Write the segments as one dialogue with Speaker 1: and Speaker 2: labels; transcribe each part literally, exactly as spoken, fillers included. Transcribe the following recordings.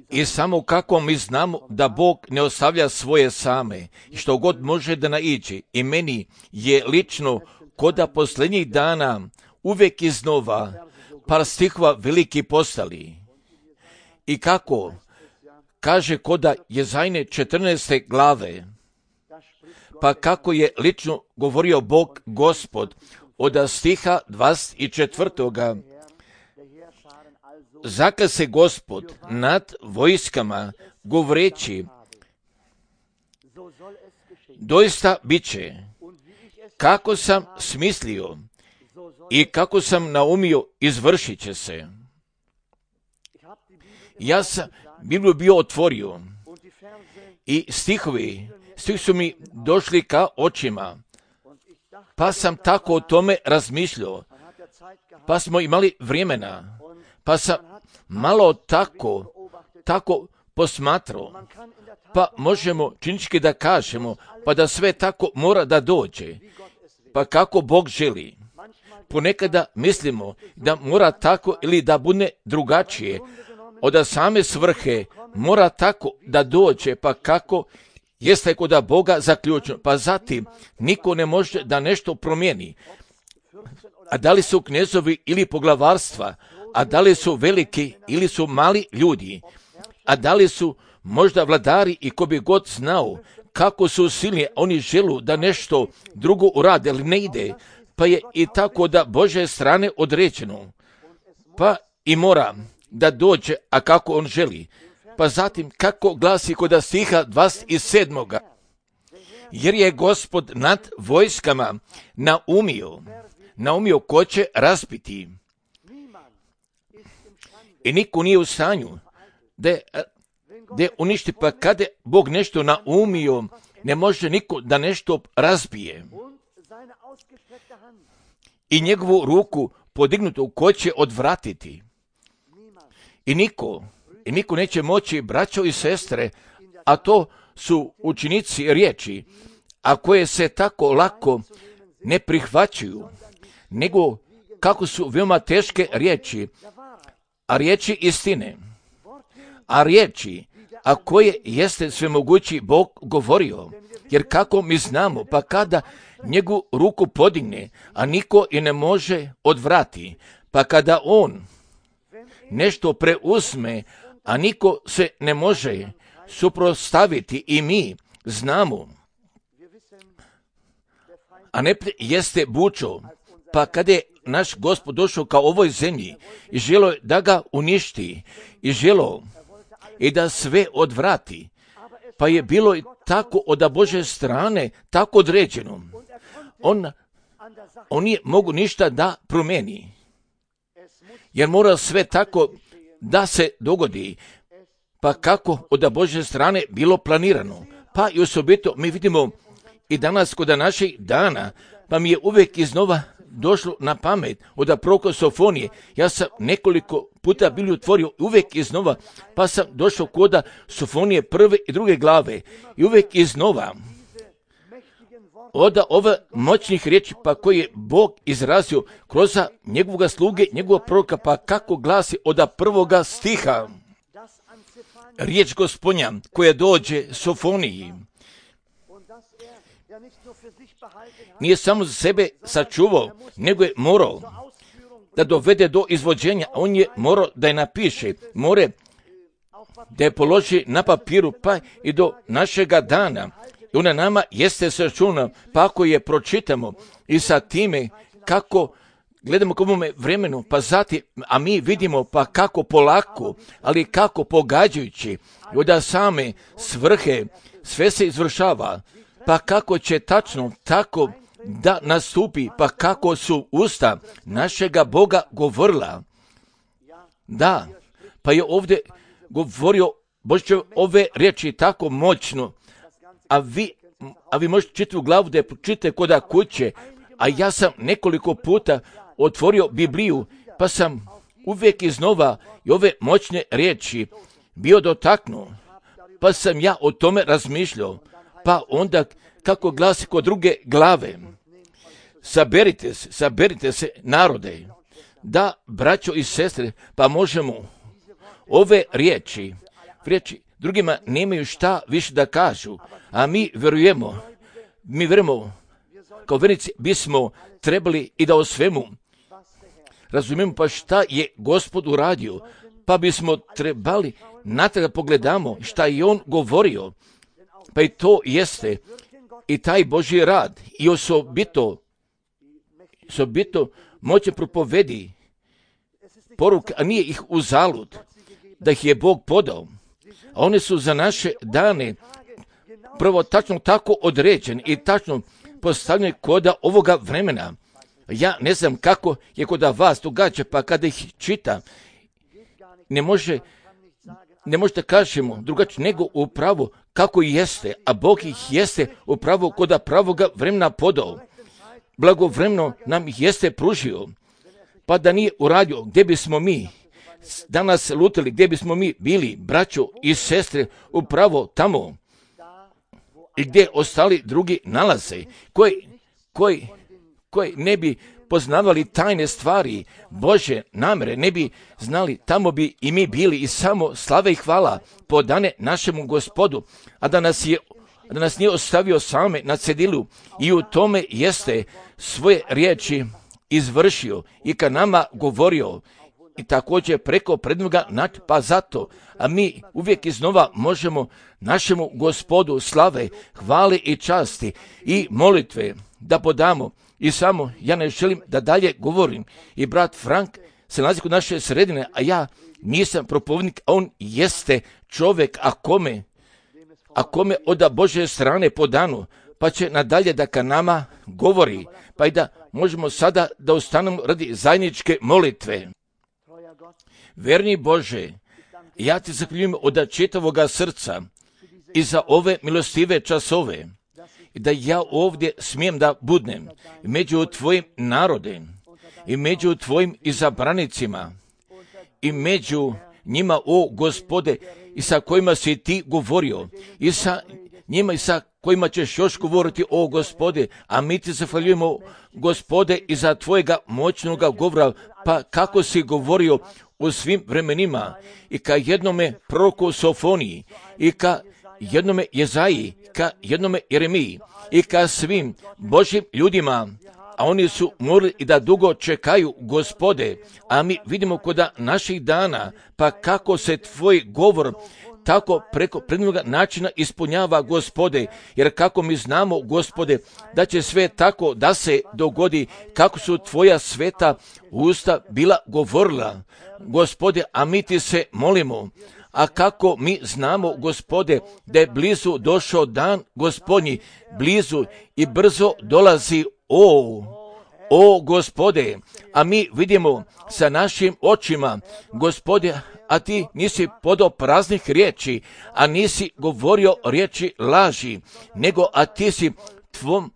Speaker 1: I samo kako mi znamo da Bog ne ostavlja svoje same, što god može da naiđe. I meni je lično koda posljednjih dana uvijek iznova par stihova veliki postali. I kako kaže koda Jezajne četrnaeste glave, pa kako je lično govorio Bog Gospod od stiha dvadeset četvrtoga Zakle se Gospod nad vojskama govoreći, doista bit će, kako sam smislio i kako sam naumio, izvršit će se. Ja sam Bibliju bio otvorio i stihovi, stih su mi došli ka očima, pa sam tako o tome razmišljao, pa smo imali vremena, pa sam malo tako, tako posmatrao, pa možemo činički da kažemo, pa da sve tako mora da dođe, pa kako Bog želi. Ponekada mislimo da mora tako ili da bude drugačije, od same svrhe mora tako da dođe, pa kako jeste kod Boga zaključeno, pa zatim niko ne može da nešto promijeni. A da li su knezovi ili poglavarstva, a da li su veliki ili su mali ljudi, a da li su možda vladari i ko bi god znao kako su silni, oni želu da nešto drugo urade, ali ne ide, pa je i tako da Božje strane određeno, pa i mora da dođe, a kako on želi. Pa zatim kako glasi kod stiha dvadeset sedmoga jer je Gospod nad vojskama naumio, naumio ko će razbiti. I niko nije u stanju da, da uništi, pa kada Bog nešto naumio, ne može niko da nešto razbije. I njegovu ruku podignutu ko će odvratiti. I niko, i niko neće moći, braćo i sestre, a to su učinici riječi, a koje se tako lako ne prihvaćaju, nego kako su veoma teške riječi, a riječi istine, a riječi, a koje jeste svemogući Bog govorio, jer kako mi znamo, pa kada njegovu ruku podigne, a niko i ne može odvrati, pa kada on nešto preuzme, a niko se ne može suprotstaviti, i mi znamo, a ne jeste bučo, pa kada je naš Gospod došao ka ovoj zemlji i želo da ga uništi i želo i da sve odvrati, pa je bilo i tako od Božje strane tako određeno. On, on nije mogu ništa da promeni, jer mora sve tako da se dogodi, pa kako od Božje strane bilo planirano. Pa i osobito mi vidimo i danas kod naših dana, pa mi je uvijek iznova došlo na pamet od proroka Sofonije. Ja sam nekoliko puta bili otvorio uvijek iznova, pa sam došao kod Sofonije prve i druge glave i uvijek iznova od ove moćnih riječi, pa koje je Bog izrazio kroz njegovog sluge, njegovog proroka, pa kako glasi od prvoga stiha. Riječ Gospodnja koja dođe Sofoniji nije samo za sebe sačuvao, nego je morao da dovede do izvođenja. On je morao da je napiše, more da je položi na papiru, pa i do našega dana. I ona nama jeste sačuvana, pa ako je pročitamo i sa time kako gledamo k ovome vremenu, pa zatim, a mi vidimo pa kako polako, ali kako pogađajući, od same svrhe sve se izvršava, pa kako će tačno tako da nastupi, pa kako su usta našega Boga govorila. Da, pa je ovdje govorio Bože ove riječi tako moćno, a vi, a vi možete čitati u glavu da je pročitate koda kuće, a ja sam nekoliko puta otvorio Bibliju, pa sam uvijek iznova i ove moćne riječi bio dotaknuo, pa sam ja o tome razmišljao, pa onda kako glasi kod druge glave, saberite se, saberite se narode, da, braćo i sestre, pa možemo ove riječi, riječi drugima nemaju šta više da kažu, a mi vjerujemo, mi vjerujemo, kao vjernici bismo trebali i da o svemu razumijemo pa šta je Gospod uradio, pa bismo trebali natrag pogledamo šta je on govorio, pa i to jeste i taj Božji rad i osobito, osobito moće propovedi poruke, a nije ih uzalud, da ih je Bog podao, a one su za naše dane prvo tačno tako određene i tačno postavljene koda ovoga vremena. Ja ne znam kako je kod vas događa, pa kada ih čita, ne može, ne možete kažemo drugačije nego upravo kako jeste, a Bog ih jeste upravo koda pravoga vremena podao. Blagovremeno nam ih jeste pružio, pa da nije uradio, gdje bismo mi danas lutali, gdje bismo mi bili, braćo i sestre, upravo tamo i gdje ostali drugi nalaze, koji, koji, koji ne bi poznavali tajne stvari Bože namere, ne bi znali, tamo bi i mi bili i samo slave i hvala podane našemu Gospodu, a da nas je da nas nije ostavio same na cedilu i u tome jeste svoje riječi izvršio i ka nama govorio i također preko prednoga naći, pa zato, a mi uvijek iznova možemo našemu Gospodu slave, hvale i časti i molitve da podamo. I samo, ja ne želim da dalje govorim. I brat Frank se nalazi kod naše sredine, a ja nisam propovjednik, a on jeste čovjek, a kome, a kome od Božje strane podano, pa će nadalje da ka nama govori, pa i da možemo sada da ostanemo radi zajedničke molitve. Verni Bože, ja ti zahvaljujem od čitavoga srca i za ove milostive časove, i da ja ovdje smijem da budnem među tvojim narodem i među tvojim izabranicima i među njima, o Gospode, i sa kojima si ti govorio i sa njima i sa kojima ćeš još govoriti, o Gospode, a mi ti zahvaljujemo, Gospode, i za tvojega moćnoga govora, pa kako si govorio u svim vremenima i ka jednome proroku Sofoniji i ka jednome Jezaji, ka jednome Jeremiji i ka svim Božjim ljudima, a oni su morali i da dugo čekaju, Gospode, a mi vidimo koda naših dana, pa kako se tvoj govor tako preko prednoga načina ispunjava, Gospode, jer kako mi znamo, Gospode, da će sve tako da se dogodi, kako su tvoja sveta usta bila govorila, Gospode, a mi ti se molimo. A kako mi znamo, Gospode, da je blizu došao dan Gospodnji, blizu i brzo dolazi, o, o Gospode, a mi vidimo sa našim očima, Gospode, a ti nisi podao praznih riječi, a nisi govorio riječi laži, nego a ti si tvom,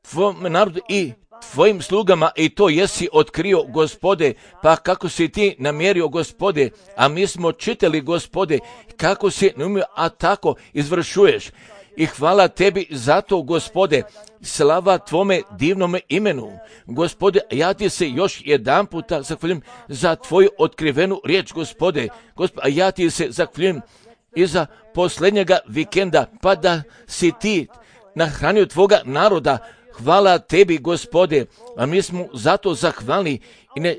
Speaker 1: tvom narodu i tvojim slugama i to jesi otkrio, Gospode, pa kako si ti namjerio, Gospode, a mi smo čitali, Gospode, kako si namjerio, a tako izvršuješ. I hvala tebi za to, Gospode, slava tvome divnome imenu. Gospode, ja ti se još jedan puta zahvaljujem za tvoju otkrivenu riječ, Gospode, Gospode, a ja ti se zahvaljujem i za posljednjega vikenda, pa da si ti nahranio tvoga naroda. Hvala tebi, Gospode, a mi smo zato zahvalni i ne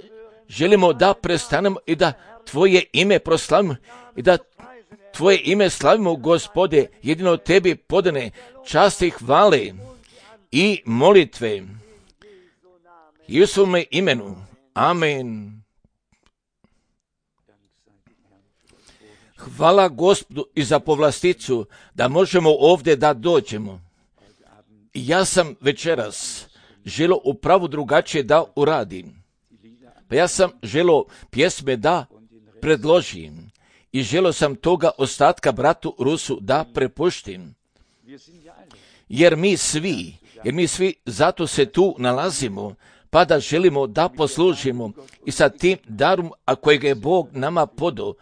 Speaker 1: želimo da prestanemo i da tvoje ime proslavimo i da tvoje ime slavimo, Gospode, jedino tebi podane časti, hvale i molitve. I u svome imenu. Amen. Hvala Gospodu i za povlasticu da možemo ovdje da dođemo. Ja sam večeras želio upravo drugačije da uradim. Pa ja sam želio pjesme da predložim i želio sam toga ostatka bratu Rusu da prepuštim. Jer mi svi, jer mi svi zato se tu nalazimo, pa da želimo da poslužimo i sa tim darom, a kojeg je Bog nama podao.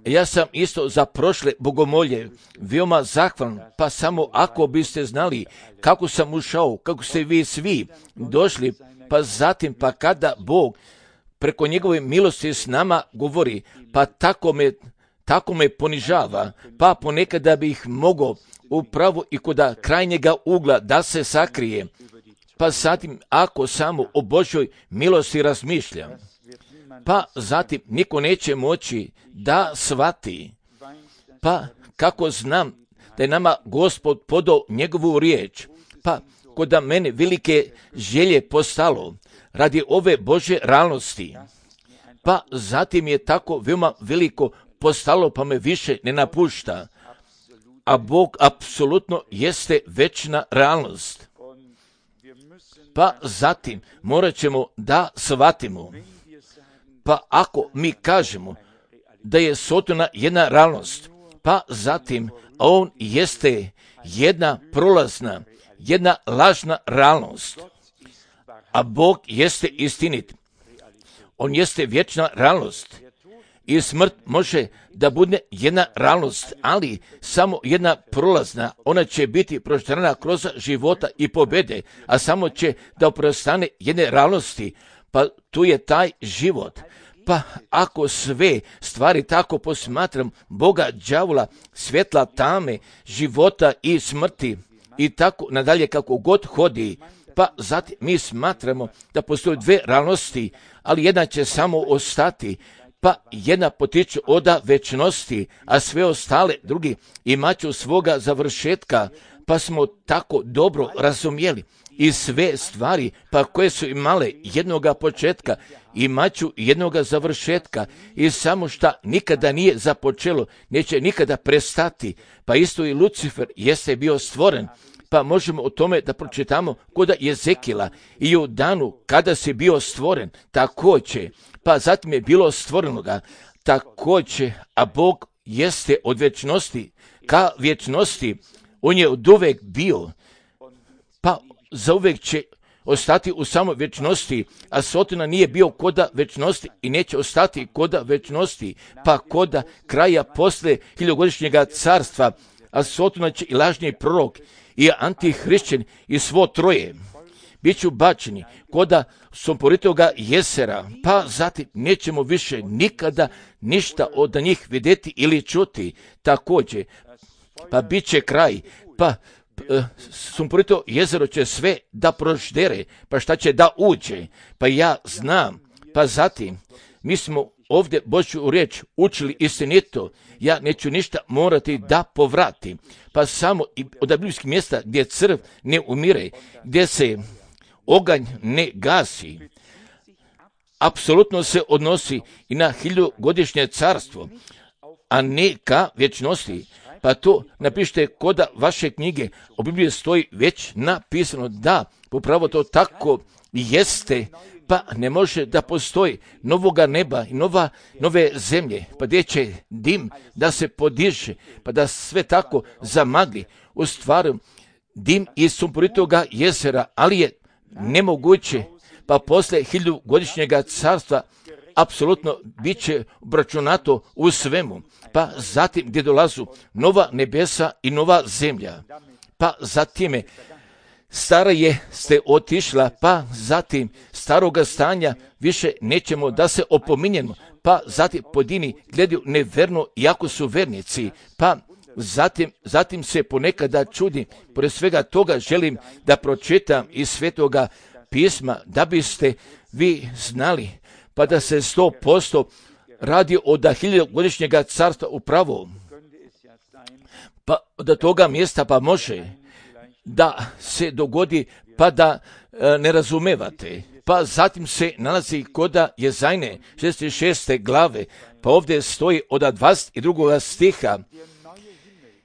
Speaker 1: Ja sam isto za prošle bogomolje veoma zahvalan, pa samo ako biste znali kako sam ušao, kako ste vi svi došli pa zatim pa kada Bog preko njegove milosti s nama govori, pa tako me, tako me ponižava, pa ponekada bih mogao upravo i kod krajnjega ugla da se sakrije, pa zatim ako samo o Božoj milosti razmišljam, pa zatim niko neće moći da shvati, pa kako znam da je nama Gospod podao njegovu riječ, pa kod mene velike želje postalo radi ove Božje realnosti, pa zatim je tako veoma veliko postalo, pa me više ne napušta, a Bog apsolutno jeste večna realnost. Pa zatim morat ćemo da shvatimo, pa ako mi kažemo da je Sotona jedna realnost, pa zatim on jeste jedna prolazna, jedna lažna realnost, a Bog jeste istinit. On jeste vječna realnost i smrt može da bude jedna realnost, ali samo jedna prolazna. Ona će biti proštrana kroz života i pobjede, a samo će da prostane jedne realnosti, pa tu je taj život. Pa ako sve stvari tako posmatram, Boga, đavola, svjetla, tame, života i smrti i tako nadalje kako god hodi, pa zatim mi smatramo da postoje dve realnosti, ali jedna će samo ostati, pa jedna potiče od večnosti, a sve ostale drugi imaću svoga završetka, pa smo tako dobro razumjeli. I sve stvari, pa koje su imale jednoga početka, imaću jednoga završetka, i samo šta nikada nije započelo, neće nikada prestati, pa isto i Lucifer jeste bio stvoren, pa možemo o tome da pročitamo kod Jezekila, i u danu kada si bio stvoren, također, pa zatim je bilo stvorenoga, također, a Bog jeste od vječnosti ka vječnosti, on je od uvek bio, pa zauvek će ostati u samoj vječnosti, a Sotona nije bio koda vječnosti i neće ostati koda vječnosti, pa koda kraja posle hiljogodišnjega carstva, a Sotona će i lažni prorok i antihrišćan i svo troje biću bačeni koda Somporitoga jezera, pa zatim nećemo više nikada ništa od njih vidjeti ili čuti. Također, pa bit će kraj, pa Sumporito jezero će sve da proždere, pa šta će da uđe, pa ja znam, pa zatim mi smo ovdje Božju riječ učili istinito, ja neću ništa morati da povratim, pa samo od biblijskih mjesta gdje crv ne umire, gdje se oganj ne gasi, apsolutno se odnosi i na hiljugodišnje carstvo, a ne ka vječnosti. Pa to napišite koda vaše knjige, u Bibliji stoji već napisano da upravo to tako jeste, pa ne može da postoji novoga neba i nova, nove zemlje, pa gdje će dim da se podiže, pa da sve tako zamagli. U stvari dim iz Sumporitoga jezera, ali je nemoguće, pa posle hiljugodišnjega carstva apsolutno bit će obračunato u svemu, pa zatim gdje dolazu nova nebesa i nova zemlja, pa zatim stara je ste otišla, pa zatim staroga stanja više nećemo da se opominjemo, pa zatim pojedini gledaju neverno iako su vernici, pa zatim, zatim se ponekada čudim, pored svega toga želim da pročitam iz Svetoga pisma, da biste vi znali, pa da se sto posto radi od hiljogodišnjega carstva upravo, pa do toga mjesta pa može da se dogodi, pa da e, ne razumevate. Pa zatim se nalazi koda Jezajne šezdeset šeste glave, pa ovdje stoji od dvadeset drugog stiha,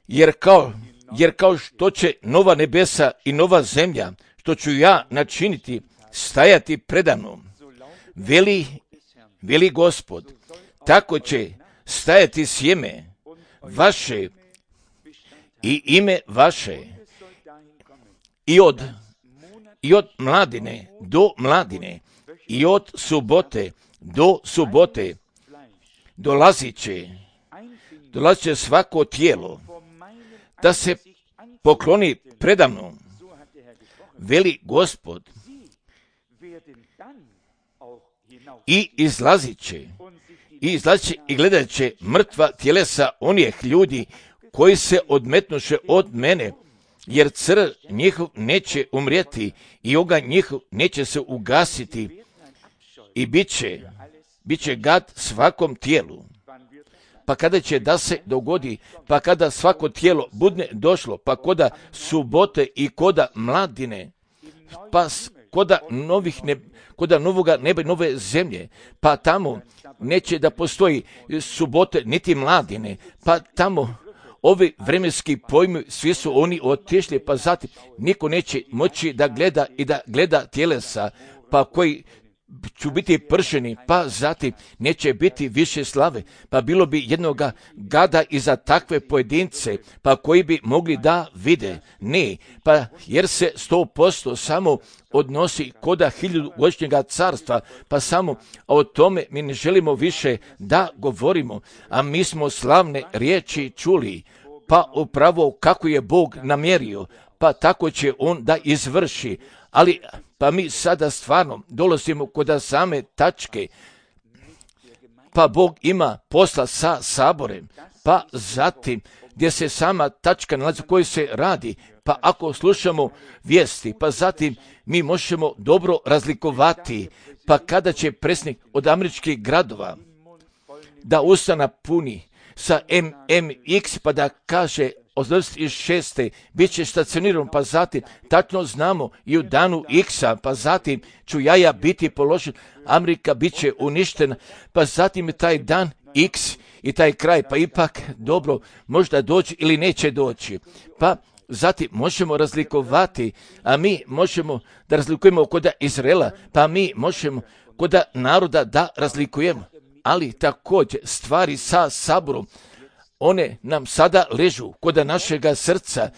Speaker 1: jer kao, jer kao što će nova nebesa i nova zemlja, što ću ja načiniti, stajati predano, veli, veli Gospod, tako će stajati sjeme vaše i ime vaše i od, i od mladine do mladine i od subote do subote dolazit će, dolazit će svako tijelo da se pokloni predamnom, veli Gospod, i izlazit će, i izlazit će i gledat će mrtva tjelesa onih ljudi koji se odmetnuše od mene, jer crv njihov neće umrijeti i oganj njihov neće se ugasiti i bit će, bit će gad svakom tijelu. Pa kada će da se dogodi, pa kada svako tijelo budne došlo, pa koda subote i koda mladine, pa koda novih ne, koda novoga neba i nove zemlje, pa tamo neće da postoji subote niti mladine, pa tamo ovi vremenski pojmi, svi su oni otišli, pa zatim niko neće moći da gleda i da gleda tjelesa, pa koji ću biti pršeni, pa zatim neće biti više slave, pa bilo bi jednoga gada i za takve pojedince, pa koji bi mogli da vide. Ne, pa jer se sto posto samo odnosi koda hiljadugodišnjega carstva, pa samo a o tome mi ne želimo više da govorimo, a mi smo slavne riječi čuli, pa upravo kako je Bog namjerio, pa tako će on da izvrši, ali pa mi sada stvarno dolazimo kod same tačke, pa Bog ima posla sa saborem, pa zatim gdje se sama tačka nalazi u kojoj se radi, pa ako slušamo vijesti, pa zatim mi možemo dobro razlikovati, pa kada će predsjednik od američkih gradova da ustana puni sa M M X pa da kaže od dvadeset šeste bit će stacioniran, pa zatim tačno znamo i u danu X-a, pa zatim ću jaja biti položen, Amerika bit će uništena, pa zatim je taj dan X i taj kraj, pa ipak dobro, možda doći ili neće doći. Pa zatim možemo razlikovati, a mi možemo da razlikujemo kod Izraela, pa mi možemo kod naroda da razlikujemo, ali također stvari sa saborom, one nam sada ležu kod našega srca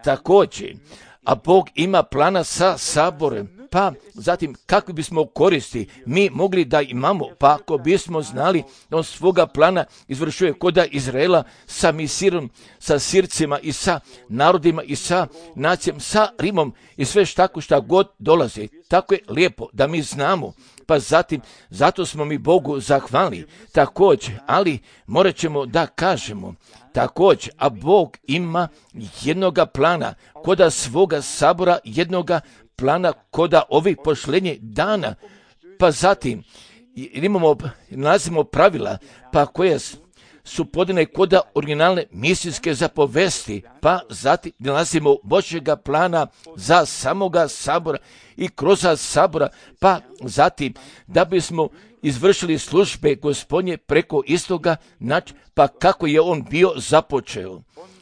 Speaker 1: također, a Bog ima plana sa saborem, pa zatim kakvi bismo koristi mi mogli da imamo, pa ako bismo znali da on svoga plana izvršuje kod Izraela sa misirom, sa Sircima i sa narodima i sa nacijom, sa Rimom i sve tako šta god dolazi. Tako je lijepo da mi znamo, pa zatim zato smo mi Bogu zahvalni također, ali morat ćemo da kažemo također, a Bog ima jednoga plana koda svoga sabora, jednoga plana koda ovih pošlenje dana, pa zatim imamo, nalazimo pravila, pa koje su podane koda originalne misijske zapovesti, pa zatim nalazimo Božjega plana za samoga sabora i kroz sabora, pa zatim da bismo izvršili službe Gospodnje preko istoga načina, pa kako je on bio započeo.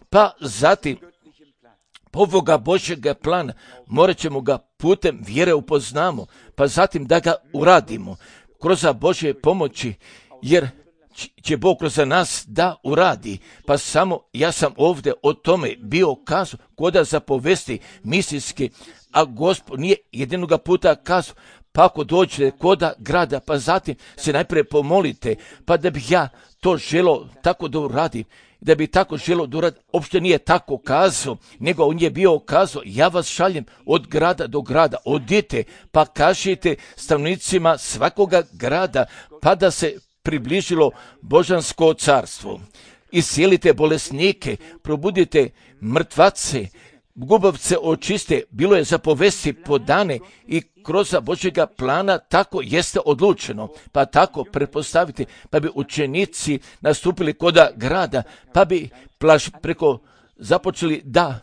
Speaker 1: Pa zatim ovoga Božjega plana morat ćemo ga putem vjere upoznamo, pa zatim da ga uradimo kroz Božje pomoći, jer će Bog kroz nas da uradi. Pa samo ja sam ovdje o tome bio kazao koda zapovesti misijske, a Gospod nije jedinoga puta kazao, pa ako dođete koda grada, pa zatim se najprije pomolite, pa da bih ja to želo tako da uradim, da bi tako želo da uradim, uopšte nije tako kazao, nego on je bio kazao, ja vas šaljem od grada do grada, odite, pa kažite stanovnicima svakoga grada, pa da se približilo Božansko carstvo. Iscijelite bolesnike, probudite mrtvace, gubavce očiste, bilo je zapovesti podane i kroz Božjega plana tako jeste odlučeno, pa tako pretpostavite, pa bi učenici nastupili koda grada, pa bi plaš preko započeli da,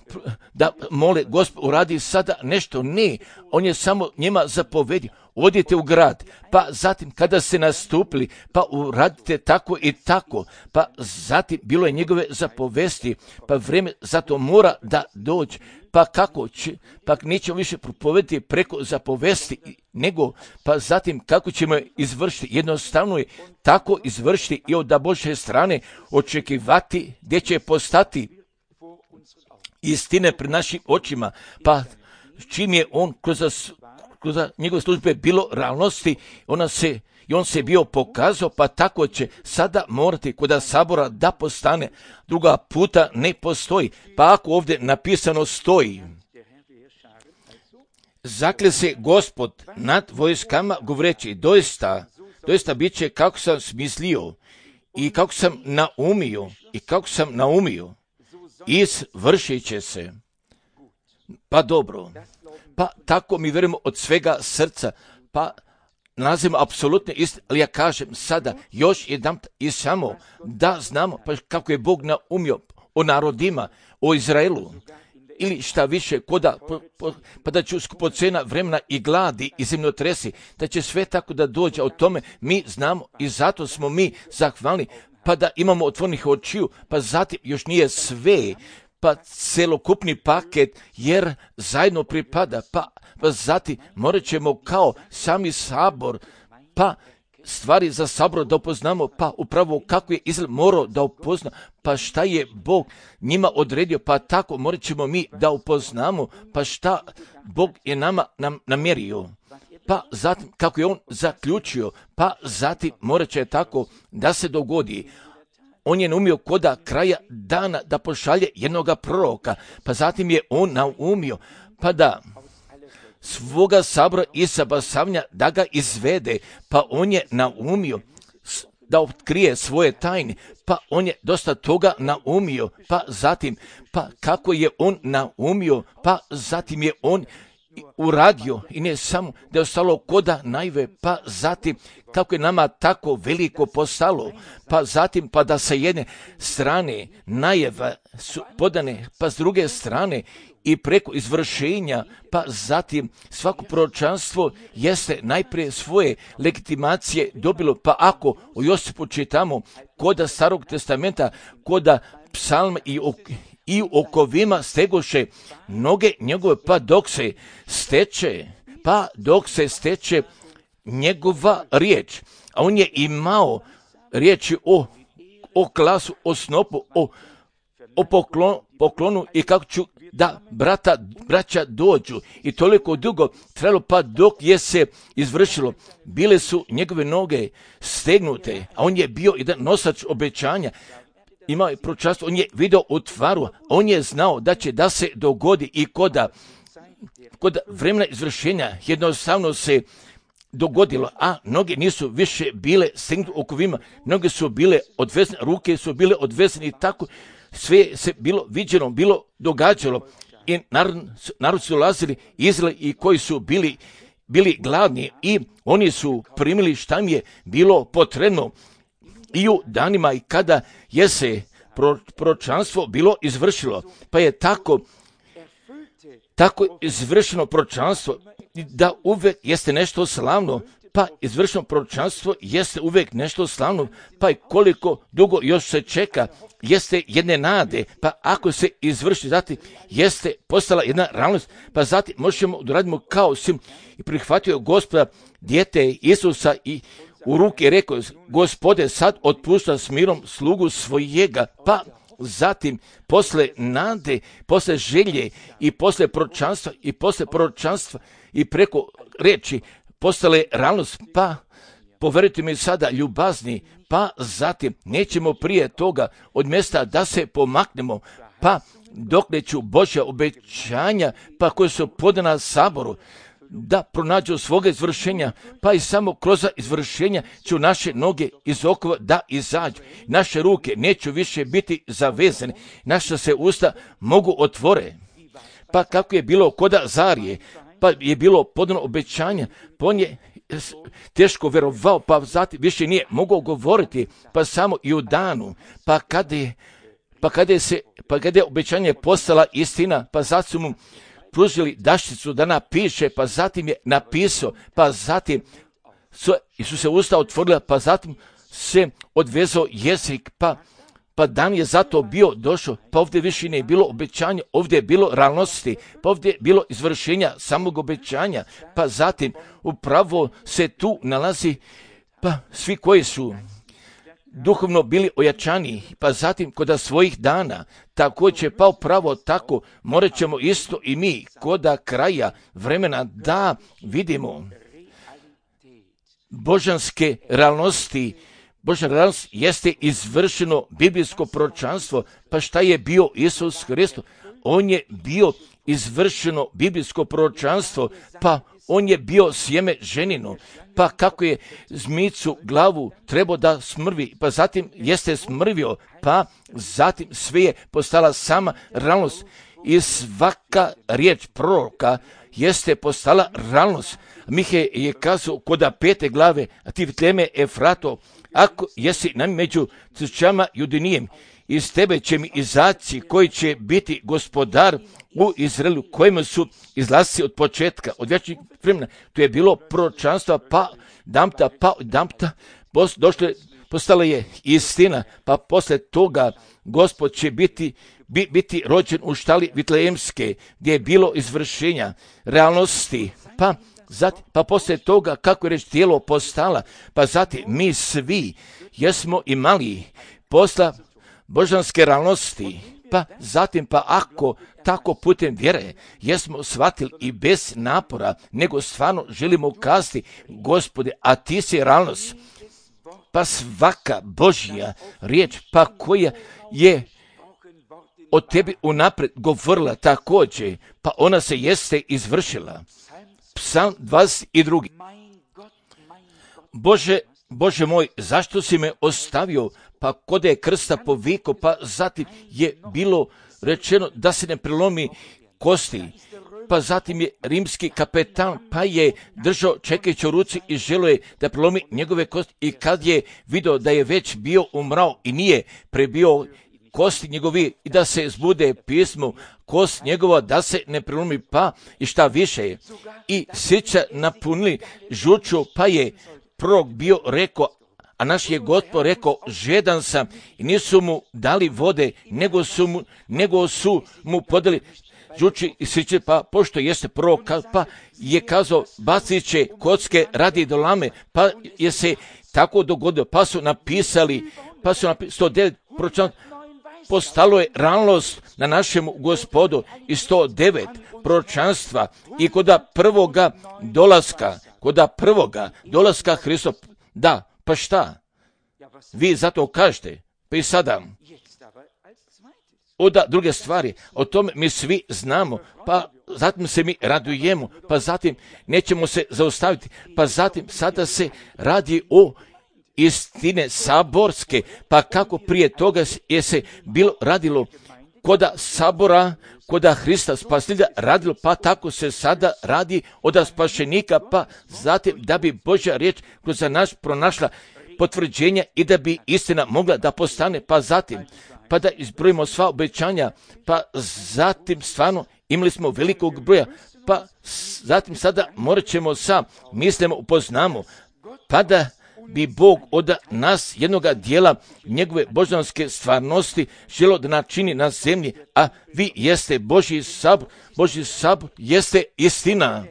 Speaker 1: da mole Gospod uradi sada nešto. Ne, on je samo njima zapovedio, odite u grad, pa zatim kada ste nastupili, pa uradite tako i tako, pa zatim bilo je njegove zapovesti, pa vrijeme zato mora da dođe, pa kako će, pa nećemo više propovediti preko zapovesti, nego pa zatim kako ćemo je izvršiti, jednostavno je tako izvršiti i od Božje strane očekivati gdje će postati istine pred našim očima, pa čim je on kroz, kroz njegove službe bilo realnosti, ona se, i on se bio pokazao, pa tako će sada morati kod sabora da postane, druga puta ne postoji, pa ako ovdje napisano stoji, zakle se Gospod nad vojskama govoreći, doista doista bit će kako sam smislio i kako sam naumio i kako sam naumio, izvršit će se. Pa dobro, pa tako mi vjerujemo od svega srca, pa nalazimo apsolutne istine, ali ja kažem sada još jedan i samo da znamo pa kako je Bog naumio o narodima, o Izraelu, ili šta više, koda, po, po, pa da će skupocena vremena i gladi i zemljotresi, da će sve tako da dođe o tome, mi znamo i zato smo mi zahvalni, pa da imamo otvorenih očiju, pa zatim još nije sve, pa celokupni paket, jer zajedno pripada, pa, pa zatim morat ćemo kao sami sabor, pa stvari za sabor da upoznamo, pa upravo kako je Izrael morao da upozna, pa šta je Bog njima odredio, pa tako morat ćemo mi da upoznamo, pa šta Bog je nama nam namjerio, pa zatim kako je on zaključio, pa zatim morat će tako da se dogodi. On je naumio koda kraja dana da pošalje jednoga proroka, pa zatim je on naumio, pa da svoga sabora i sabasavnja da ga izvede, pa on je naumio da otkrije svoje tajne, pa on je dosta toga naumio, pa zatim, pa kako je on naumio, pa zatim je on uradio i ne samo da je ostalo koda najve, pa zatim kako je nama tako veliko postalo, pa zatim pa da sa jedne strane najava su podane, pa s druge strane i preko izvršenja, pa zatim svako proročanstvo jeste najprije svoje legitimacije dobilo, pa ako o Josipu čitamo koda Starog testamenta, koda psalma i ok, i u okovima stegoše noge njegove, pa dok se steče, pa dok se steče njegova riječ, a on je imao riječi o, o klasu, o snopu, o, o poklon, poklonu i kako ću da brata, braća dođu i toliko dugo trebalo, pa dok je se izvršilo, bile su njegove noge stegnute, a on je bio jedan nosač obećanja, imao je proročanstvo, on je video u tvaru, on je znao da će da se dogodi i koda, koda vremena izvršenja jednostavno se dogodilo, a noge nisu više bile stegnute okovima, noge su bile odvezene, ruke su bile odvezene i tako sve se bilo viđeno, bilo događalo i narod, narod su ulazili Izrael i koji su bili, bili gladni i oni su primili šta im je bilo potrebno i u danima i kada je se proročanstvo bilo izvršilo, pa je tako tako izvršeno proročanstvo da uvek jeste nešto slavno, pa izvršeno proročanstvo jeste uvek nešto slavno, pa i koliko dugo još se čeka, jeste jedne nade, pa ako se izvrši, zatim jeste postala jedna realnost, pa zatim možemo da radimo kao sim i prihvatio Gospoda dijete Isusa i u ruke rekao, Gospode, sad otpušta s mirom slugu svojega, pa zatim posle nade, posle želje i posle proročanstva i posle proročanstva i preko reči postale realnost, pa poverujte mi sada ljubazni, pa zatim nećemo prije toga od mjesta da se pomaknemo, pa dokle ću Božja obećanja, pa koje su podana saboru, da pronađu svoga izvršenja, pa i samo kroz izvršenja ću naše noge iz okova da izađu. Naše ruke neću više biti zavezane, naša se usta mogu otvore. Pa kako je bilo koda Zarije, pa je bilo podano obećanja, pa on je teško vjerovao, pa zatim više nije mogao govoriti, pa samo i u danu, pa kada je, pa kada je, se, pa kada je obećanje postala istina, pa zato su mu pružili daščicu da napiše, pa zatim je napisao, pa zatim su, su se usta otvorila, pa zatim se odvezao jezik, pa, pa dan je zato bio došao, pa ovdje više ne je bilo obećanja, ovdje je bilo realnosti, pa ovdje je bilo izvršenja samog obećanja, pa zatim upravo se tu nalazi, pa svi koji su duhovno bili ojačani, pa zatim koda svojih dana, također pa upravo tako morat ćemo isto i mi koda kraja vremena da vidimo božanske realnosti. Božja realnost jeste izvršeno biblijsko proročanstvo, pa šta je bio Isus Hristos? On je bio izvršeno biblijsko proročanstvo, pa on je bio sjeme ženino, pa kako je zmicu glavu trebao da smrvi, pa zatim jeste smrvio, pa zatim sve je postala sama realnost i svaka riječ proroka jeste postala realnost. Mihe je kazao koda pete glave, a ti Vitleme Efrato, ako jesi nam među crčama Judinijem, iz tebe će mi izaći koji će biti gospodar u Izraelu, kojima su izlasci od početka, od vječnih vremena. To je bilo proročanstvo, pa dampta, pa dampta, došlo, postala je istina, pa posle toga Gospod će biti, bi, biti rođen u štali Vitlejemske, gdje je bilo izvršenja realnosti, pa Zatim, pa poslije toga, kako je reč tijelo postala, pa zatim mi svi jesmo imali posla božanske realnosti, pa zatim, pa ako tako putem vjere jesmo shvatili i bez napora, nego stvarno želimo kazati, Gospode, a ti si realnost, pa svaka Božja riječ, pa koja je od tebi unaprijed govorila također, pa ona se jeste izvršila. Psalm dvadeset dva. Bože, Bože moj, zašto si me ostavio? Pa kod je krsta povikao, pa zatim je bilo rečeno da se ne prelomi kosti. Pa zatim je rimski kapetan, pa je držao čekajući u ruci i želio je da prelomi njegove kosti. I kad je vidio da je već bio umrao i nije prebio kosti njegovi i da se zbude pismo, kost njegova da se ne prelomi, pa i šta više je. I srca napunili žuču, pa je prorok bio rekao, a naš je Gospod rekao, žedan sam, i nisu mu dali vode, nego su mu, nego su mu podali žuči i srce, pa pošto jeste prorok, pa je kazao, bacit će kocke radi dolame, pa je se tako dogodilo, pa su napisali, pa su napisali sto devet proročanstva, postalo je realnost na našem Gospodu i sto devet proročanstva i koda prvoga dolaska, koda prvoga dolaska Hristova. Da, pa šta? Vi zato kažete, pa i sada. Oda druge stvari, o tome mi svi znamo, pa zatim se mi radujemo, pa zatim nećemo se zaustaviti, pa zatim sada se radi o istine saborske, pa kako prije toga je se bilo radilo koda sabora, koda Hrista Spasitelja radilo, pa tako se sada radi od spašenika, pa zatim da bi Božja riječ kroz nas pronašla potvrđenja i da bi istina mogla da postane, pa zatim, pa da izbrojimo sva obećanja, pa zatim stvarno imali smo velikog broja, pa zatim sada morat ćemo sa mislimo upoznamo, pa da bi Bog od nas jednoga dijela njegove božanske stvarnosti želo da načini na zemlji, a vi jeste Božji sabor, Božji sabor jeste istina.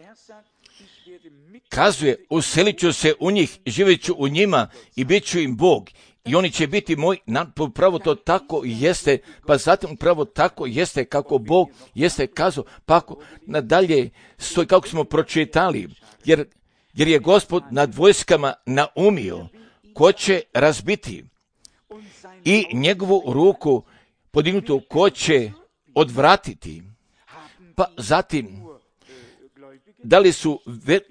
Speaker 1: Kazuje, uselit ću se u njih, živjet ću u njima i bit ću im Bog. I oni će biti moj, upravo to tako jeste, pa zatim upravo tako jeste kako Bog jeste kazao, pa ako nadalje stoji kako smo pročitali, jer jer je Gospod nad vojskama naumio ko će razbiti i njegovu ruku podignutu ko će odvratiti. Pa zatim, da li su,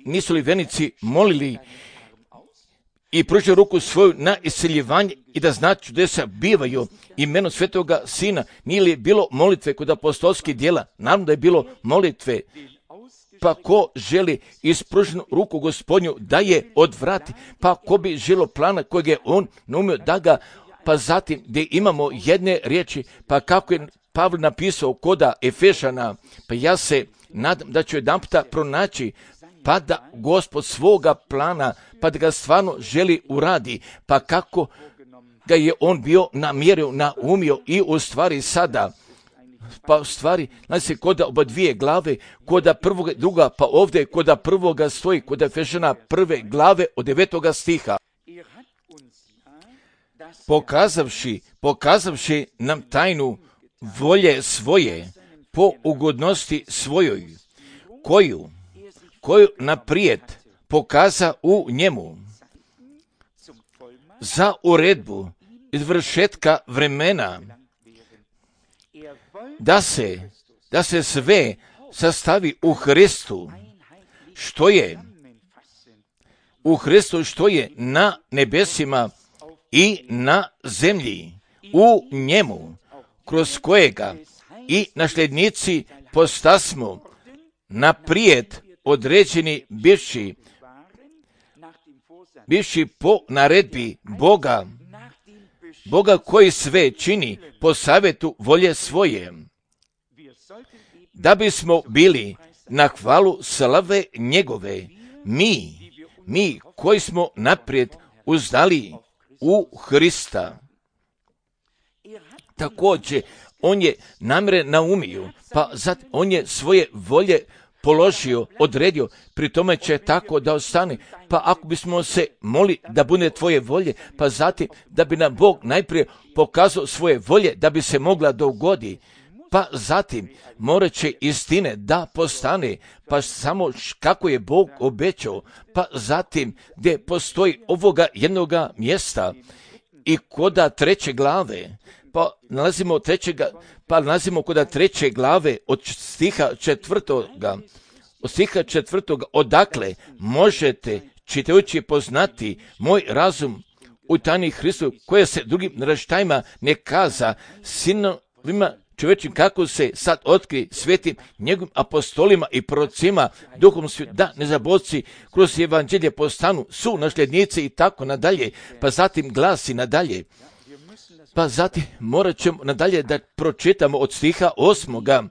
Speaker 1: nisu li vernici molili i pružili ruku svoju na isceljivanje i da znači čudesa bivaju imenom Svetoga Sina? Nije li bilo molitve kod apostolskih djela? Naravno da je bilo molitve. Pa ko želi ispruženu ruku Gospodnju da je odvrati, pa ko bi želo plana kojeg je on naumio da ga, pa zatim gdje imamo jedne riječi, pa kako je Pavle napisao koda Efešana, pa ja se nadam da ću jedan puta pronaći, pa da Gospod svoga plana, pa da ga stvarno želi uradi, pa kako ga je on bio namjerio, naumio i u stvari sada, pa u stvari, znači se koda oba dvije glave, koda prvoga, druga, pa ovdje koda prvoga stoji, koda Efešana prve glave od devetoga stiha. Pokazavši, pokazavši nam tajnu volje svoje, po ugodnosti svojoj, koju, koju naprijed pokaza u njemu, za uredbu izvršetka vremena, da se, da se sve sastavi u Hristu, što je u Hristu, što je na nebesima i na zemlji, u njemu, kroz kojega i nasljednici postasmo naprijed određeni bivši, bivši po naredbi Boga, Boga koji sve čini po savjetu volje svoje, da bismo bili na hvalu slave njegove, mi, mi koji smo naprijed uzdali u Hrista. Također, on je namjere naumio, pa zatim on je svoje volje položio, odredio, pri tome će tako da ostane. Pa ako bismo se molili da bude tvoje volje, pa zatim da bi nam Bog najprije pokazao svoje volje da bi se mogla dogodi, pa zatim morat će istine da postane, pa samo kako je Bog obećao, pa zatim gdje postoji ovoga jednoga mjesta i koda treće glave, pa nalazimo trećega, pa nalazimo koda treće glave od stiha četvrtoga, od stiha četvrtoga, odakle možete čitajući poznati moj razum u tajni Hristu, koje se drugim naraštajima ne kaza, sinovima čovječim kako se sad otkri svetim njegovim apostolima i prorocima, duhom svjetom, da nezaboravci kroz evanđelje postanu su nasljednici i tako nadalje, pa zatim glasi nadalje. Pa zatim morat ćemo nadalje da pročitamo od stiha osmoga.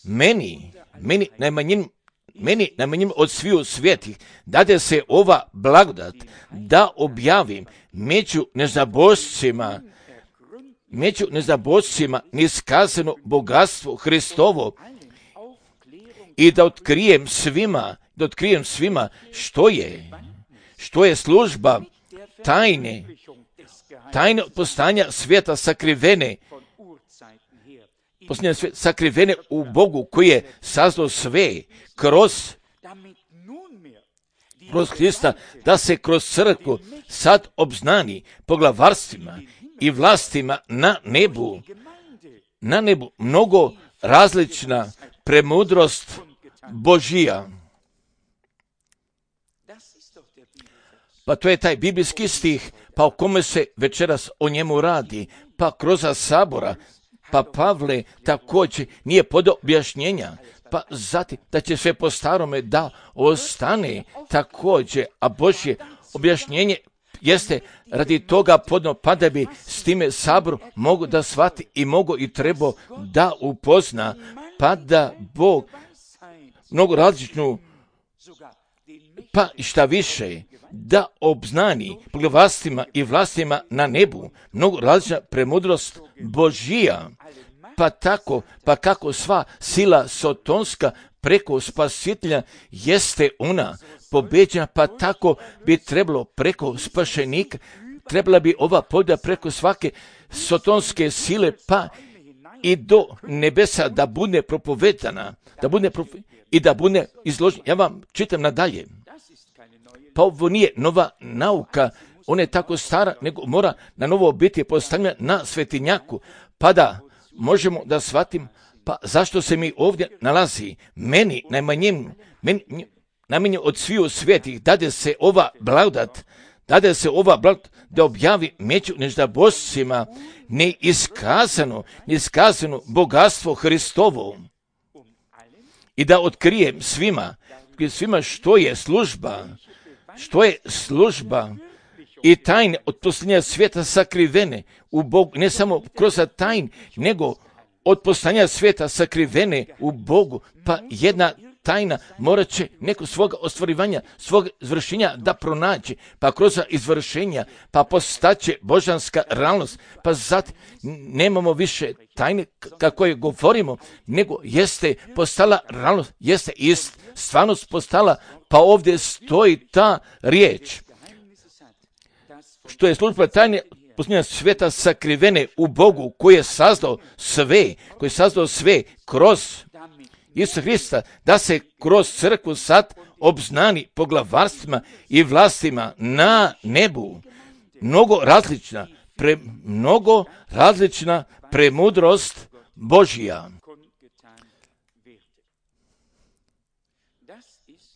Speaker 1: Meni, meni najmanjim, meni najmanjim od sviju svetih, dade se ova blagodat da objavim među nezaboravcima, među nezaboravcima niskazano bogatstvo Hristovo i da otkrijem svima, da otkrijem svima što je, što je služba tajne, tajne postanja svijeta sakrivene, postanja svijeta sakrivene u Bogu koji je sazdao sve kroz, kroz Hrista, da se kroz crkvu sad obznani poglavarstvima i vlastima na nebu, na nebu mnogo različna premudrost Božija. Pa to je taj biblijski stih, pa o kome se večeras o njemu radi, pa kroz sabora, pa Pavle također nije podao objašnjenja, pa zatim da će sve po starome da ostane također, a Božje objašnjenje jeste radi toga podno, pa da bi s time sabor mogu da shvati i mogu i trebao da upozna, pa da Bog mnogo različnu, pa šta više, da obznani poglavarstvima i vlastima na nebu mnogo različna premudrost Božija, pa tako, pa kako sva sila sotonska preko spasitelja jeste ona pobeđena, pa tako bi trebalo preko spašenika, trebala bi ova pobjeda preko svake sotonske sile, pa i do nebesa da bude propovedana, da bude propo- i da bude izložena. Ja vam čitam nadalje. Pa ovo nije nova nauka, ona je tako stara, nego mora na novo biti postavljena na svetinjaku, pa da možemo da shvatim, pa zašto se mi ovdje nalazi. Meni, najmanjim, meni, najmanje od sviju svetih, dade se ova blagodat, dade se ova blagodat da objavi među nezaboravcima neiskazano, neiskazano bogatstvo Hristovo i da otkrijem svima, svima što je služba, što je služba i tajne od poslanja svijeta sakrivene u Bogu, ne samo kroz tajn, nego od poslanja svijeta sakrivene u Bogu, pa jedna tajna morat će neko svoga ostvarivanja, svog izvršenja da pronađe, pa kroz izvršenja, pa postaće božanska realnost, pa zatim nemamo više tajne kako je govorimo, nego jeste postala realnost, jeste ist, stvarnost postala, pa ovdje stoji ta riječ, što je služba tajne poslanja svijeta sakrivene u Bogu koji je sazdao sve, koji je sazdao sve kroz Isusa Hrista, da se kroz crkvu sad obznani poglavarstvima i vlastima na nebu. Mnogo različna, pre, mnogo različna premudrost Božija.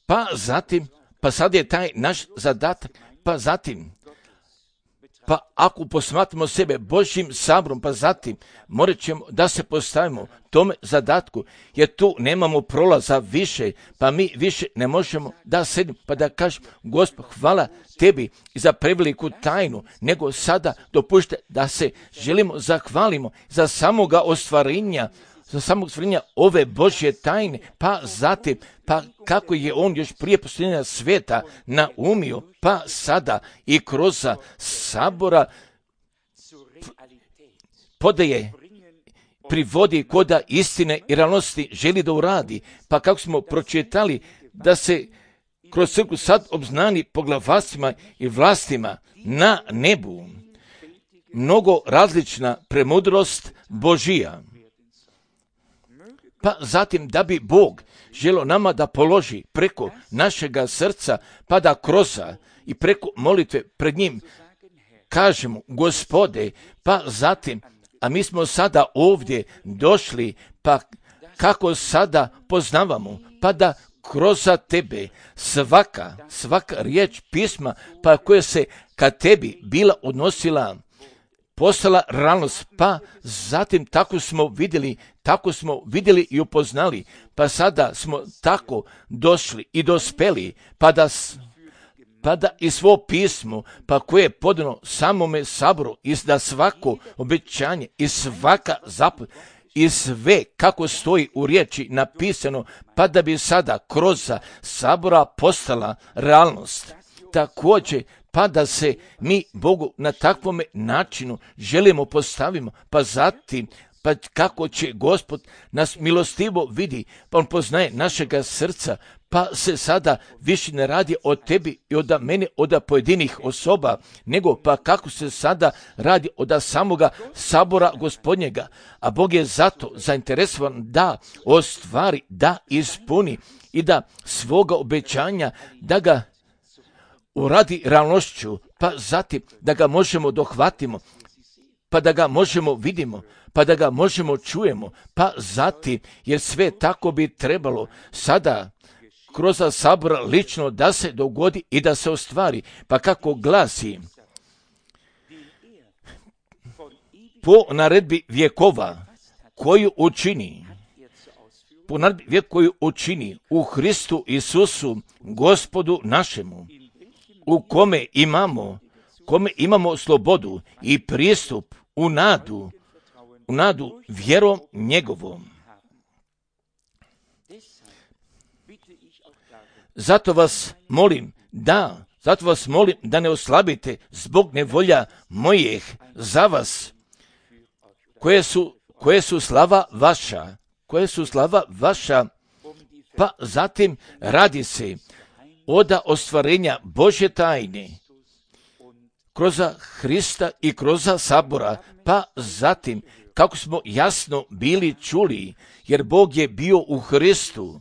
Speaker 1: Pa zatim, pa sad je taj naš zadatak, pa zatim, pa ako posmatramo sebe Božjim saborom, pa zatim morat ćemo da se postavimo tome zadatku, jer tu nemamo prolaza više, pa mi više ne možemo da sedimo, pa da kažemo, Gospod, hvala tebi za preveliku tajnu, nego sada dopušte da se želimo zahvalimo za samoga ostvarenja, za samog stvorenja ove Božje tajne, pa zatim, pa kako je on još prije postavljanja sveta naumio, pa sada i kroz sabora podaje, privodi koda istine i realnosti želi da uradi, pa kako smo pročitali da se kroz crkvu sad obznani poglavarstvima i vlastima na nebu mnogo različna premudrost Božija. Pa zatim da bi Bog želio nama da položi preko našega srca, pa da kroz i preko molitve pred njim kažemo, Gospode, pa zatim, a mi smo sada ovdje došli, pa kako sada poznavamo, pa da kroz tebe svaka, svaka riječ pisma, pa koja se ka tebi bila odnosila, postala realnost, pa zatim tako smo vidjeli, tako smo vidjeli i upoznali, pa sada smo tako došli i dospeli, pa da, pa da i svo pismo, pa koje je podano samome saboru, i da svako obećanje i svaka zapovjed i sve kako stoji u riječi napisano, pa da bi sada kroz sabora postala realnost. Također, pa da se mi Bogu na takvom načinu želimo postavimo, pa zatim, pa kako će Gospod nas milostivo vidi, pa on poznaje našega srca, pa se sada više ne radi od tebi i od mene, od pojedinih osoba, nego pa kako se sada radi od samoga sabora Gospodnjega, a Bog je zato zainteresovan da ostvari, da ispuni i da svoga obećanja, da ga uradi realnošću, pa zatim da ga možemo dohvatimo, pa da ga možemo vidimo, pa da ga možemo čujemo, pa zatim, jer sve tako bi trebalo sada kroz sabor lično da se dogodi i da se ostvari, pa kako glasi, po naredbi vjekova koju učini, po naredbi vijek koju učini u Hristu Isusu, Gospodu našemu, u kome imamo, kome imamo slobodu i pristup u nadu, u nadu vjerom njegovom. Zato vas molim da, zato vas molim da ne oslabite zbog nevolja mojih za vas, koje su, koje su slava vaša, koje su slava vaša, pa zatim radi se od ostvarenja Božje tajne kroz Hrista i kroz sabora, pa zatim kako smo jasno bili čuli, jer Bog je bio u Hristu,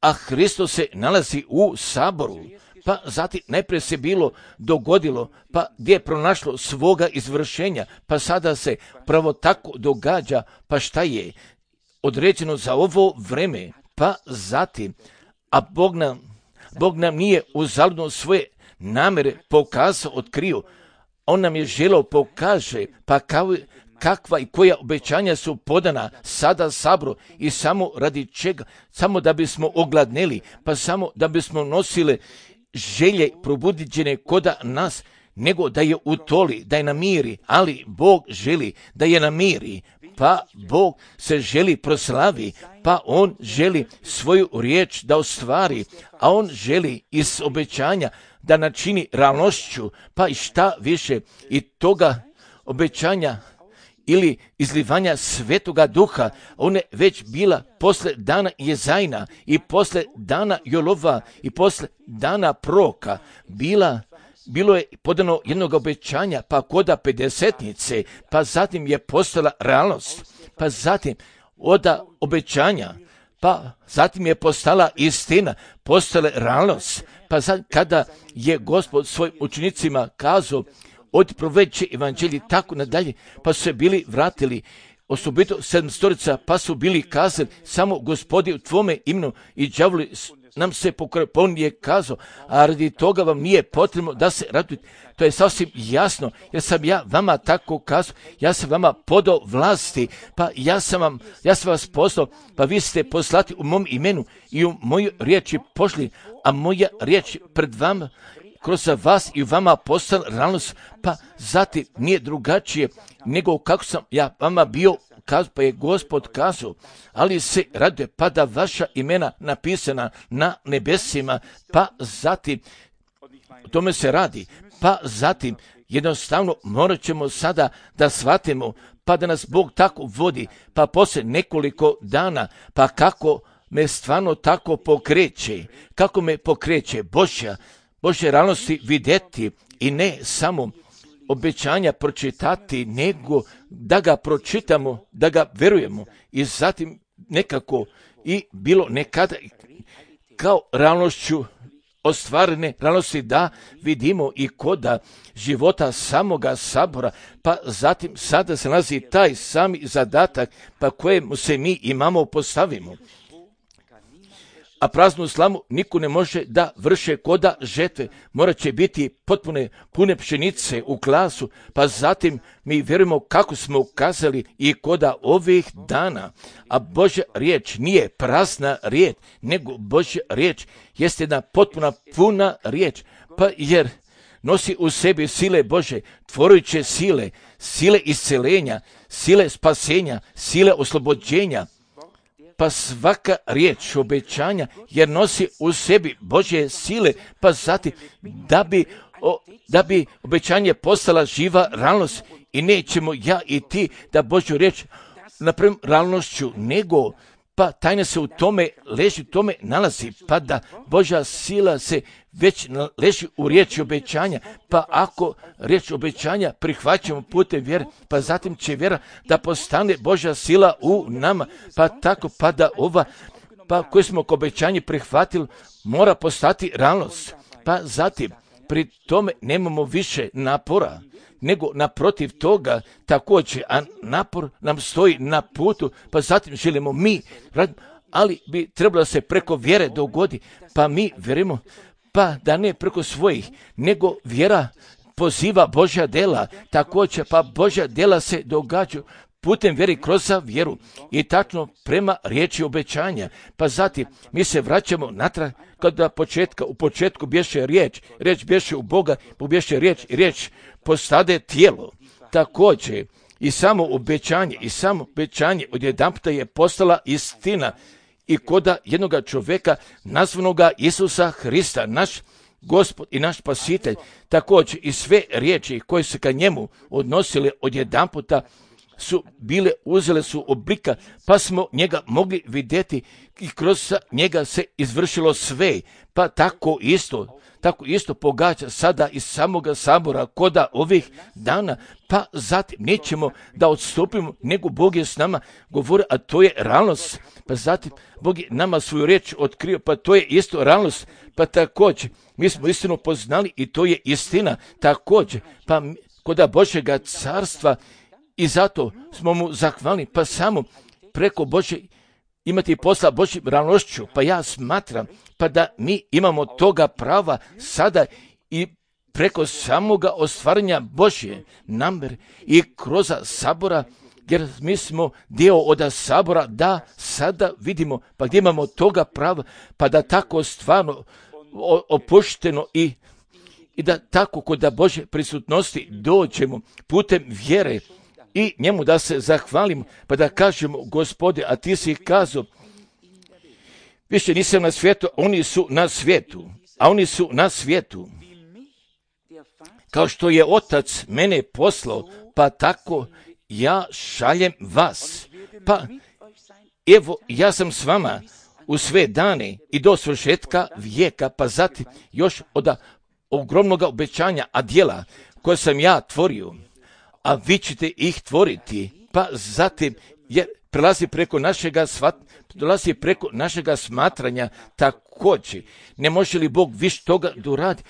Speaker 1: a Hristos se nalazi u saboru, pa zatim najprije se bilo dogodilo, pa gdje je pronašlo svoga izvršenja, pa sada se pravo tako događa, pa šta je određeno za ovo vreme, pa zatim, a Bog nam, Bog nam nije uzaludno svoje namere pokazao, otkrio, on nam je želeo pokaže, pa kao, kakva i koja obećanja su podana sada sabru i samo radi čega, samo da bismo ogladneli, pa samo da bismo nosili želje probudiđene koda nas, nego da je utoli, da je namiri, ali Bog želi da je namiri, pa Bog se želi proslavi, pa on želi svoju riječ da ostvari, a on želi iz obećanja da načini realnošću, pa i šta više i toga obećanja ili izlivanja Svetoga Duha, ona je već bila posle dana Jezajna i posle dana Jolova i posle dana Proka, bila bilo je podano jednog obećanja, pa koda pedesetnice, pa zatim je postala realnost, pa zatim od obećanja, pa zatim je postala istina, postala realnost, pa zatim kada je Gospod svojim učenicima kazao, od proveće evanđelji, tako nadalje, pa su se bili vratili, osobito sedmstorica, pa su bili kazali, samo Gospodi u tvome imenu i đavoli nam se pokore, pa on je kazao, a radi toga vam nije potrebno da se radujete. To je sasvim jasno, jer sam ja vama tako kazao, ja sam vama podao vlasti, pa ja sam, vam, ja sam vas poslao, pa vi ste poslati u mom imenu i u moju riječi pošli, a moja riječ pred vama, kroz vas i vama postala realnost, pa zatim nije drugačije nego kako sam ja vama bio kazao, pa je Gospod kazao, ali se raduje, pa da vaša imena napisana na nebesima, pa zatim, o tome se radi, pa zatim jednostavno morat ćemo sada da shvatimo, pa da nas Bog tako vodi, pa poslije nekoliko dana, pa kako me stvarno tako pokreće, kako me pokreće Božja, Božje realnosti vidjeti i ne samo obećanja pročitati, nego da ga pročitamo, da ga verujemo i zatim nekako i bilo nekada kao realnošću ostvarene realnosti da vidimo i koda života samoga sabora, pa zatim sada se nalazi taj sami zadatak pa kojemu se mi imamo postavimo. A praznu slamu niko ne može da vrše koda žetve, morat će biti potpune pune pšenice u glasu, pa zatim mi vjerujemo kako smo ukazali i koda ovih dana. A Božja riječ nije prazna riječ, nego Božja riječ jeste jedna potpuna puna riječ, pa jer nosi u sebi sile Bože, tvorujuće sile, sile iscelenja, sile spasenja, sile oslobođenja. Pa svaka riječ obećanja jer nosi u sebi Božje sile, pa zatim da bi, o, da bi obećanje postala živa realnost i nećemo ja i ti da Božju riječ napravimo realnošću, nego pa tajna se u tome leži, u tome nalazi, pa da Božja sila se već leži u riječi obećanja, pa ako riječ obećanja prihvaćamo putem vjere, pa zatim će vjera da postane Božja sila u nama, pa tako pa da ova, pa koje smo k obećanje prihvatili, mora postati realnost, pa zatim pri tome nemamo više napora, nego naprotiv toga također, a napor nam stoji na putu, pa zatim želimo mi, ali bi trebalo da se preko vjere dogodi, pa mi vjerujemo, pa da ne preko svojih, nego vjera poziva Božja dela, također pa Božja dela se događaju putem vjeri kroz vjeru i tačno prema riječi obećanja. Pa zatim mi se vraćamo natrag kada početka, u početku bješe riječ, riječ bješe u Boga, bješe riječ i riječ postade tijelo. Također i samo obećanje i samo obećanje odjedanputa je postala istina i koda jednoga čovjeka nazvanoga Isusa Hrista, naš Gospod i naš Spasitelj, također i sve riječi koje se ka njemu odnosile odjedanputa su bile, uzele su oblika, pa smo njega mogli vidjeti i kroz njega se izvršilo sve, pa tako isto, tako isto pogađa sada iz samoga sabora koda ovih dana, pa zatim nećemo da odstupimo, nego Bog je s nama govori, a to je realnost, pa zatim Bog je nama svoju riječ otkrio, pa to je isto realnost, pa također mi smo istinu poznali i to je istina, također, pa koda Božjega carstva i zato smo mu zahvalni, pa samo preko Božje imati posla Božjim realnošću, pa ja smatram, pa da mi imamo toga prava sada i preko samoga ostvarenja Božje namere i kroz sabora, jer mi smo dio od sabora, da sada vidimo, pa gdje imamo toga prava, pa da tako stvarno opušteno i, i da tako kod da Božje prisutnosti dođemo putem vjere, i njemu da se zahvalimo, pa da kažemo, Gospode, a ti si kazao, više nisam na svijetu, oni su na svijetu, a oni su na svijetu. Kao što je Otac mene poslao, pa tako ja šaljem vas. Pa evo, ja sam s vama u sve dane i do svršetka vijeka, pa zatim još od ogromnog obećanja, a djela koje sam ja tvorio, a vi ćete ih tvoriti, pa zatim jer prelazi preko našega svat, prelazi preko našega smatranja također. Ne može li Bog više toga doradi?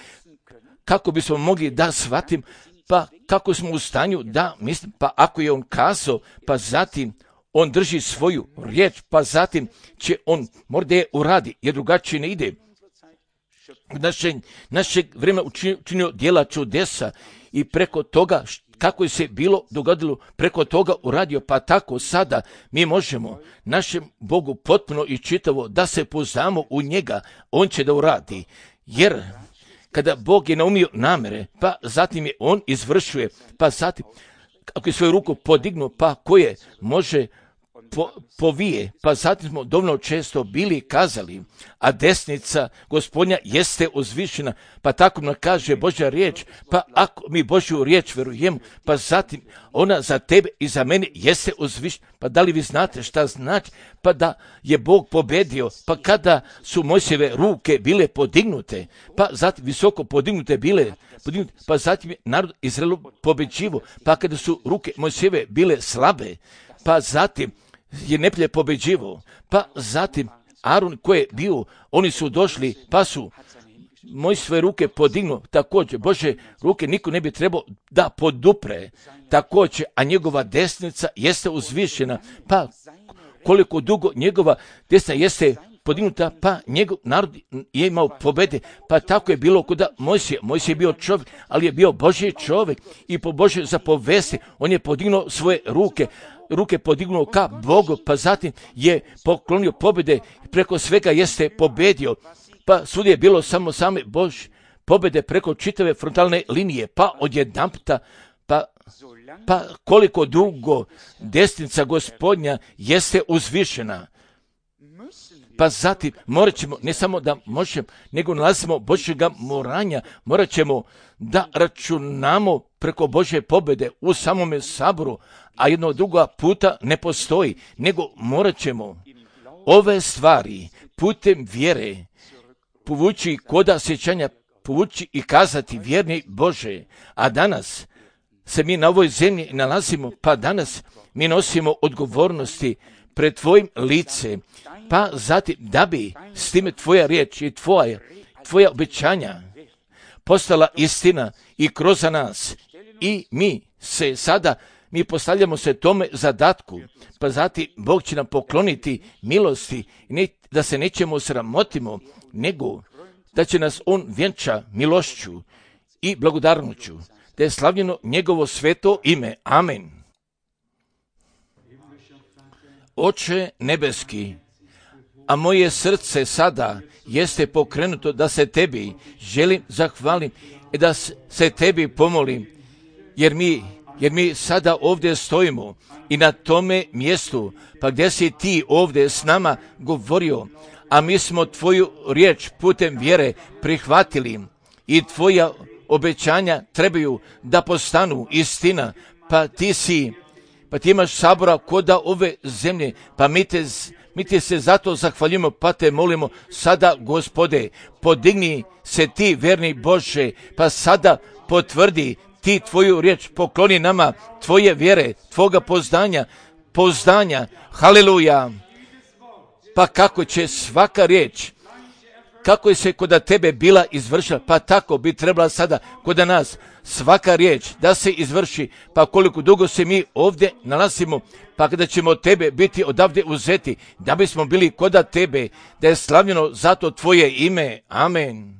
Speaker 1: Kako bismo mogli da shvatim, pa kako smo u stanju da mislim, pa ako je on kazao, pa zatim on drži svoju riječ, pa zatim će on možda je uradi, jer drugačije ne ide. Naše, našeg vremena učinio djela čudesa i preko toga kako je se bilo dogodilo, preko toga uradio, pa tako sada mi možemo našem Bogu potpuno i čitavo da se pouzdamo u njega, on će da uradi. Jer kada Bog je naumio namere, pa zatim je on izvršuje, pa zatim ako je svoju ruku podignuo, pa koje može po, povije, pa zatim smo dovoljno često bili kazali, a desnica Gospodnja jeste uzvišena, pa tako nam kaže Božja riječ, pa ako mi Božju riječ verujemo, pa zatim ona za tebe i za mene jeste uzvišena. Pa da li vi znate šta znači? Pa da je Bog pobedio, pa kada su Mojsijeve ruke bile podignute, pa zatim visoko podignute bile, podignute, pa zatim je narod Izraelu pobeđivo, pa kada su ruke Mojsijeve bile slabe, pa zatim je neprijatelj pobeđivo, pa zatim Aron koji je bio, oni su došli, pa su moji svoje ruke podignu, također Bože ruke niko ne bi trebao da podupre, također, a njegova desnica jeste uzvišena, pa koliko dugo njegova desna jeste podignuta, pa njegov narod je imao pobede, pa tako je bilo kod Mojsija. Mojsija je bio čovjek, ali je bio Božji čovjek i po Božjoj zapovesti on je podignuo svoje ruke, ruke podignuo ka Bogu, pa zatim je poklonio pobjede, preko svega jeste pobedio, pa svud je bilo samo same Božje pobjede preko čitave frontalne linije, pa odjedanputa, pa, pa koliko dugo desnica Gospodnja jeste uzvišena. Pa zatim morat ćemo, ne samo da možemo, nego nalazimo Božjega moranja, morat ćemo da računamo preko Božje pobjede u samome saboru, a jednog druga puta ne postoji, nego morat ćemo ove stvari putem vjere povući koda sjećanja, povući i kazati vjerni Bože, a danas se mi na ovoj zemlji nalazimo, pa danas mi nosimo odgovornosti pred tvojim lice, pa zatim da bi s time tvoja riječ i tvoja, tvoja obećanja postala istina i kroz nas i mi se sada, mi postavljamo se tome zadatku, pa zatim Bog će nam pokloniti milosti, ne, da se nećemo sramotimo, nego da će nas on vjenča milošću i blagodarnoću, da je slavljeno njegovo sveto ime. Amen. Oče nebeski, a moje srce sada jeste pokrenuto da se tebi želim zahvalim i da se tebi pomolim, jer mi, jer mi sada ovdje stojimo i na tome mjestu, pa gdje si ti ovdje s nama govorio, a mi smo tvoju riječ putem vjere prihvatili i tvoja obećanja trebaju da postanu istina, pa ti si, pa ti imaš sabora koda ove zemlje, pa mi te, mi te se zato zahvaljujemo, pa te molimo sada, Gospode, podigni se ti, verni Bože, pa sada potvrdi ti tvoju riječ, pokloni nama tvoje vjere, tvoga poznanja, poznanja, haleluja. Pa kako će svaka riječ, kako je se kod tebe bila izvršila, pa tako bi trebala sada kod nas svaka riječ da se izvrši, pa koliko dugo se mi ovdje nalazimo, pa kada ćemo tebe biti odavde uzeti, da bismo bili kod tebe, da je slavljeno zato tvoje ime. Amen.